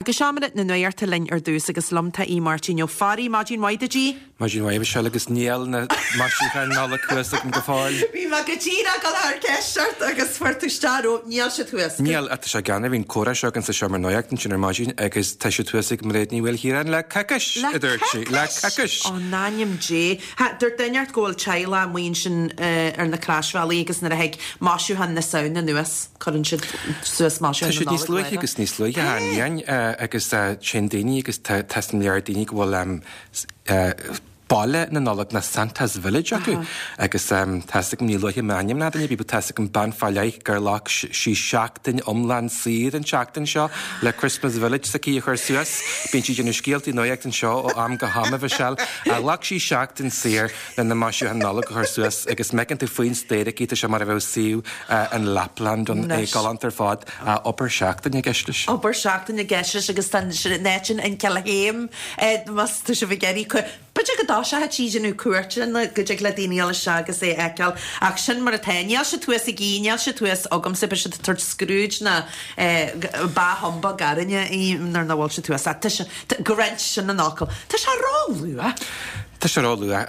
go seomra na nuachta linn ar dtús agus liom tá Aodh Máirtín Ó Fearraigh. Maidin mhaith duit, Aodh. Maidin mhaith, a Mhichelle, agus níl na maisiúcháin Nollag thuas agam go fóill. Bhí mé go díreach ag dul a chur ceist ort agus fuair tú isteach romham. Níl siad thuas. Níl, ach tá sé greannmhar, bhí an comhrá seo againn sa seomra nuachta ansin ar maidin agus tá siad thuas ag Mairéad Ní Mhaoilchiaráin le coicís, a dúirt sí. Le coicís! Ó, in ainm Dé. Ha, dúirt duine inteacht go bhfuil teaghlach amuigh ansin ar na croisbhealaí agus nuair a thig maisiúcháin na Samhna anuas, cuireann siad suas maisiúcháin na Nollag. Tá siad níos luaithe agus níos luaithe, a Niain, agus téann daoine agus tá go leor daoine go bhfuil Baile na Nollag nó Santa's Village acu agus tá's agam, ní luafaidh mé ainm ná duine ar bith, but tá's agam bean fá leith gur ghlac sí seachtain iomlán saor an tseachtain seo le Christmas Village s'aici a chur suas. Bíonn sí ag déanamh scéaltaí nuachta anseo ó am go ham, a Mhichelle. Ghlac sí seachtain saor le na maisiúcháin Nollag a chur suas agus má fheiceann tú faoin spéir aici tá sé mar a bheadh suíomh in Lapland ann, é galánta ar fad. Obair seachtaine i gceist leis. Obair seachtaine i gceist leis agus tá an áit sin in Cill Chéim más tá sibh ag iarraidh b'fhéidir go dtoiseoidh sí ag déanamh cuairteanna go dtig le daoine dul isteach agus é a fheiceáil ach sin mar atá. Níl siad thuas ag Aodh, níl siad thuas agamsa, beidh siad ag tabhairt Scrooge ná Bah Humbug orainne nuair nach bhfuil siad thuas ach tá sé, go roinnt, sin an fhocal. Tá sé ró-luath. Tá sé ró-luath.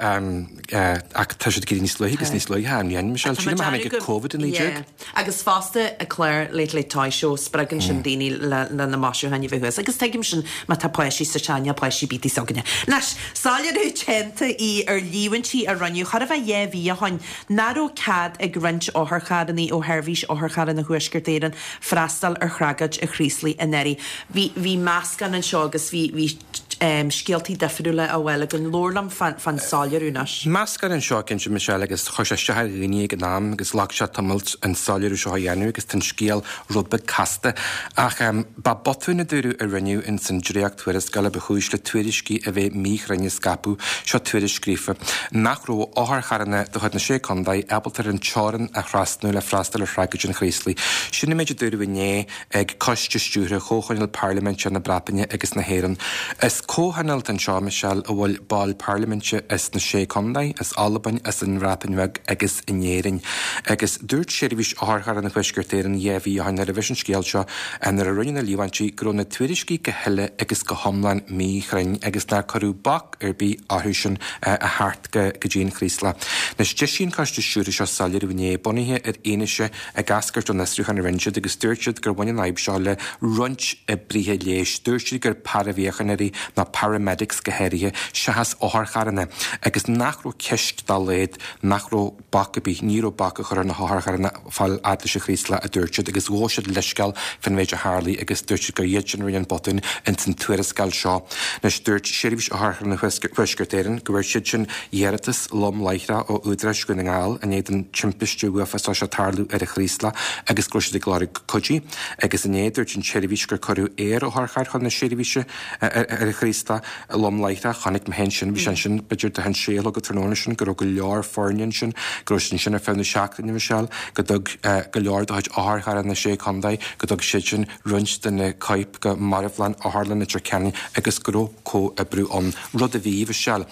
Ach tá siad ag éirí níos luaithe agus níos luaithe, an ndéanann Michelle? Sílim a tháinig Covid-19. Agus fosta an clár Late Late Toy Show, spreagann sin daoine le na maisiúcháin a bheith thuas. Agus tuigim sin má tá páistí sa teach, níl páistí ar bith s'againne. Anois, soiléiriú déanta í ar líomhaintí a rinneadh chóir a bheith 2 mhí ó shoin nach raibh cead ag roinnt otharcharranna ó Sheirbhís Otharcharranna Thuaisceart Éireann freastal ar thragóid an Chraoslaigh anuraidh. Bhí bhí meascán anseo agus bhí bhí scéaltaí difriúla á bhfáil againn. Labhair liom fán soiléiriú anois. Meascán anseo, cinnte, Michelle, agus chuir sé isteach ar dhaoine ag an am agus ghlac sé tamalt an soiléiriú seo a dhéanamh agus tá an scéal rud beag casta. Ach ba botún a dúradh a rinneadh ins an dréacht-tuarascáil a ba chúis le tuairiscí a bheith míchruinn a scaipeadh. Seo tuairisc scríofa. Nach raibh otharcharranna de chuid na Sé Contae ábalta ar an teorainn a thrasnú le freastal ar thragóid an Chraoslaigh. Sin an méid a dúradh inné. ag Coiste Stiúrtha Chomhthionól Parlaiminte na Breataine agus na hÉireann. Is comhthionól atá anseo, Michelle, a bhfuil baill parlaiminte as na Sé Contae, as Albain, as an mBreatain Bheag agus in Éirinn. Agus dúirt Seirbhís Otharcharranna Thuaisceart Éireann 2 mhí ó shin nuair a bhris an scéal seo, nuair a rinneadh na líomhaintí, go raibh na tuairiscí go huile agus go hiomlán míchruinn agus nár cuireadh bac ar bith orthu sin a theacht go dtí an Chraoslach. Anois, d'eisigh an Coiste Stiúrtha seo soiléiriú inné, bunaithe ar fhianaise ag eascairt ón fhiosrúchán a rinne siad agus dúirt siad gur bhain an fhadhb seo le roinnt oibrithe leighis. Dúirt siad gur paraimhíochaineoirí nó paramedics go háirithe seachas otharcharranna agus nach raibh ceist dá laghad nach raibh bac ar bith, ní raibh bac á chur ar na hotharcharranna fáil fhad leis an Chraoslach a dúirt siad agus ghabh siad leithscéal fán mhéid a tharlaigh agus dúirt siad gur iad sin a rinne an botún ins an tuarascáil seo. Anois dúirt Seirbhís Otharcharranna Thuaisceart Éireann go bhfuair siad sin iarratas lom láithreach ó Údaráis Dhún na nGall i ndiaidh don timpiste uafásach seo tarlú ar an Chraoslach agus go raibh siad ag lorg cuidí. Agus inné dúirt an tseirbhís gur cuireadh aer-otharcharr chun na seirbhíse ar an Chraoslach lom láithreach. Chonaic mé féin sin, bhí sé ansin b'fhéidir do an sé a chlog an tráthnóna sin, go raibh go leor foirne ansin, go raibh siad ansin ar feadh na seachtaine, Michelle, go dtug go leor de chuid otharcharranna na Sé Chontae, go dtug siad sin roinnt de na coirp go marbhlann Otharlann Leitir Ceanainn agus go raibh comhoibriú ann, rud a bhí, Michelle.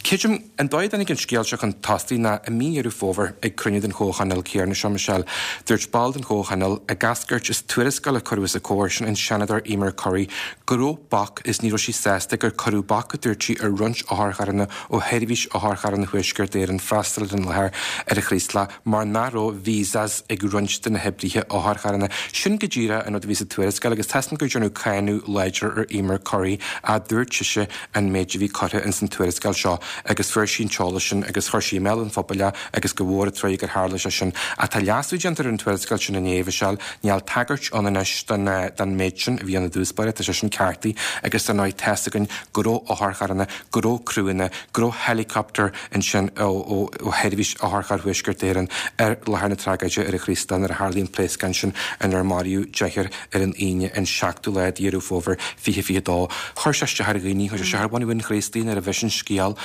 Creidim, an dóigh a dtáinig an scéal seo chun tosaigh ná i mí Dheireadh Fómhair ag cruinniú den Chomhthionól céanna seo, Michelle, dúirt ball den Chomhthionól, ag eascairt as tuarascáil a cuireadh os a comhair, sin an Seanadóir Eimear Currie, go raibh bac is ní raibh sí sásta gur cuireadh bac, a dúirt sí, ar roinnt otharcharranna ó Sheirbhís Otharcharranna Thuaisceart Éireann freastal ar an láthair ar an Chraoslach mar nach raibh visas ag roinnt de na hoibrithe otharcharranna. Sin go díreach an rud a bhí sa tuarascáil agus tá's agam gur déanadh cáineadh láidir ar Eimear Currie, a dúirt sise an méid a bhí curtha ins an tuarascáil seo agus fuair sí an t-eolas sin agus chuir sí i mbéal an phobail é agus gur mhór an truaighe gur tharla sé sin. Ach tá leasú déanta ar an tuarascáil sin inné, a Mhichelle, níl tagairt ann anois don don méid sin a bhí ann i dtús báire, tá sé sin ceartaithe agus dar ndóigh tá's againn go raibh otharcharranna, go raibh criúnna, go raibh helicopter ansin ó ó ó Sheirbhís Otharcharr Thuaisceart Éireann ar láthair na tragóide ar an Chraoslach nuair a tharlaigh an pléascán sin inar maraíodh deichniúr ar an Aoine an 7ú lá de Dheireadh Fómhair 2022. Chuir sé isteach ar dhaoine, chuir sé isteach ar bhunadh an Chraoslaigh nuair a bhris an scéal.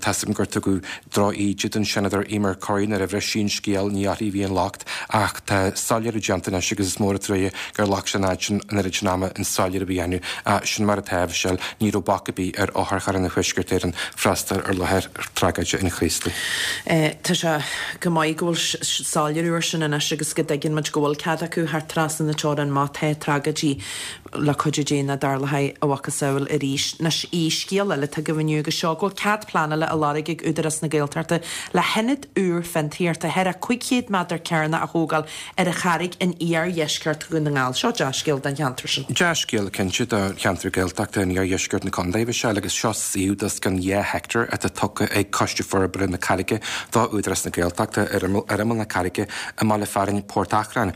Tá's agam gur tugadh droch-íde don Seanadóir Eimear Currie nuair a bhris sí an scéal, ní uirthi a bhí an locht ach tá soiléiriú déanta anois agus is mór an truaighe gur ghlac sé an fhad sin, an oiread sin ama an soiléiriú a dhéanamh. Sin mar atá, a Mhichelle. ní raibh bac ar bith ar otharcharranna Thuaisceart Éireann freastal ar láthair tragóide an Chraoslaigh. Tá sé go maith go bhfuil soiléiriú ar sin anois agus go dtuigeann muid go bhfuil cead acu theacht trasna na teorann má tá tragóidí le cuidiú Dé nach dtarlóidh a mhacasamhail arís. Anois, í, scéal eile atá agaibh inniu agus seo go bhfuil cead pleanála á lorg ag Údarás na Gaeltachta le hionad úr fiontraíochta thar a 500 méadar cearnach a thógáil ar an Charraig in iardheisceart Dhún na nGall. Seo dea-scéal don cheantar sin. Dea-scéal cinnte do cheantar Gaeltachta in iardheisceart na contae, a Mhichelle, agus seo suíomh d'os cionn 2 heicteár atá tugtha ag Coiste Forbartha na Carraige do Údarás na Gaeltachta ar imeall na Carraige i mbaile fearainn Port Achrann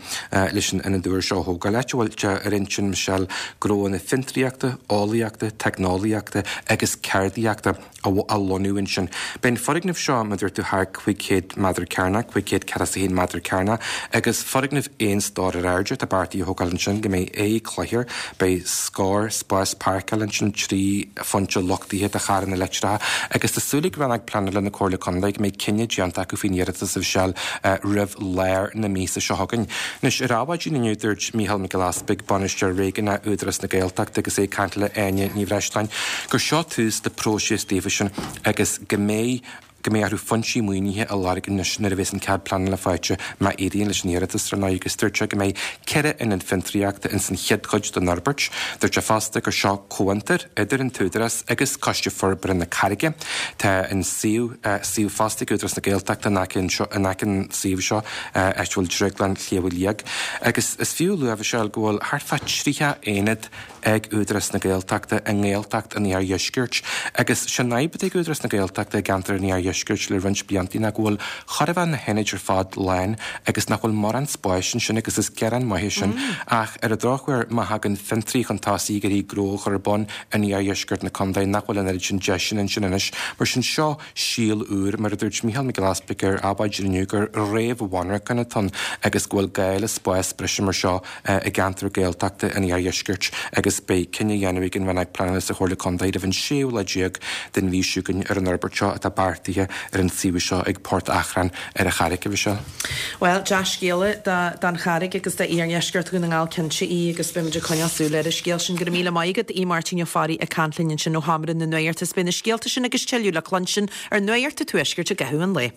leis an ionad úr seo a thógáil, áit a bhfuil sé ar intinn, Michelle, gnóanna fiontraíochta, eolaíochta, teicneolaíochta agus ceardaíochta a lonnú ansin. Beidh an foirgneamh seo, mar a dúirt tú, thar 500 méadar cearnach, 541 méadar cearnach, agus foirgneamh aon stór ar airde atá beartaithe a thógáil ansin, go mbeidh aghaidh clochair, beidh scór spás páirceála ansin, 3 phointe luchtaithe do charranna leictreacha, agus tá súil ag Rannóg Pleanála na Comhairle Contae go mbeidh cinneadh déanta acu faoin iarratas, a Mhichelle, roimh lár na míosa seo chugainn. Anois, ar Adhmhaidin inniu, dúirt Mícheál Mac Giolla Easpaig, Bainisteoir Réigiúnach Údarás na Gaeltachta agus é ag caint le Áine Ní Bhreisleáin, gur seo tús le próiseas daofa sin agus go mbeidh go mbeidh orthu foinsí maoinithe a lorg anois nuair a bheas an cead pleanála faighte má éiríonn leis an iarratas, ar ndóigh, agus dúirt sé go mbeidh 4 ionad fiontraíochta ins an chéad chuid den fhorbairt. Dúirt sé fosta gur seo comhfhiontar idir an tÚdarás agus Coiste Forbartha na Carraige. Tá an suíomh suíomh fosta ag Údarás na Gaeltachta in aice anseo in aice an suíomh seo áit a bhfuil Drioglann Shliabh Liag agus is fiú a lua, a Mhichelle, go bhfuil thart fá 30 aonad ag Údarás na Gaeltachta i nGaeltacht an Iardheiscirt. Agus sé an fhadhb atá ag Údarás na Gaeltachta i gceantar an Iardheiscirt le roinnt blianta ná go bhfuil chóir a bheith na hionaid ar fad lán agus nach bhfuil mórán spáis ansin agus is gearán maith é sin. Ach ar an drochuair má thagann fiontraí chun tosaigh ag iarraidh gnó a chur ar bun in iardheisceart na contae nach bhfuil an oiread sin deiseanna ansin anois. Mar sin seo síol úr, mar a dúirt Mícheál Mac Giolla Easpaig ar Adhmhaidin inniu gur réamh-mhonarchan atá ann agus go bhfuil gá le spás breise mar seo i gceantar Gaeltachta an Iardheiscirt agus beidh cinneadh á dhéanamh ag an Rannóg Pleanála sa Chomhairle Contae roimh an séú lá déag den mhí seo chugainn ar an fhorbairt seo atá beartaithe ar an suíomh seo ag Port Achrann ar an Charraig, a Mhichelle. Bhuel, dea-scéala don Charraig agus d'iardheisceart Dhún na nGall cinnte í agus beimid ag coinneáil súil ar an scéal sin. Go raibh míle maith agat, a Mháirtín Ó Fearraigh ag caint linn ansin ó Sheomra na Nuachta. Is beidh na scéalta sin agus tuilleadh le cluinstin ar Nuacht an Tuaiscirt i gcaitheamh an lae.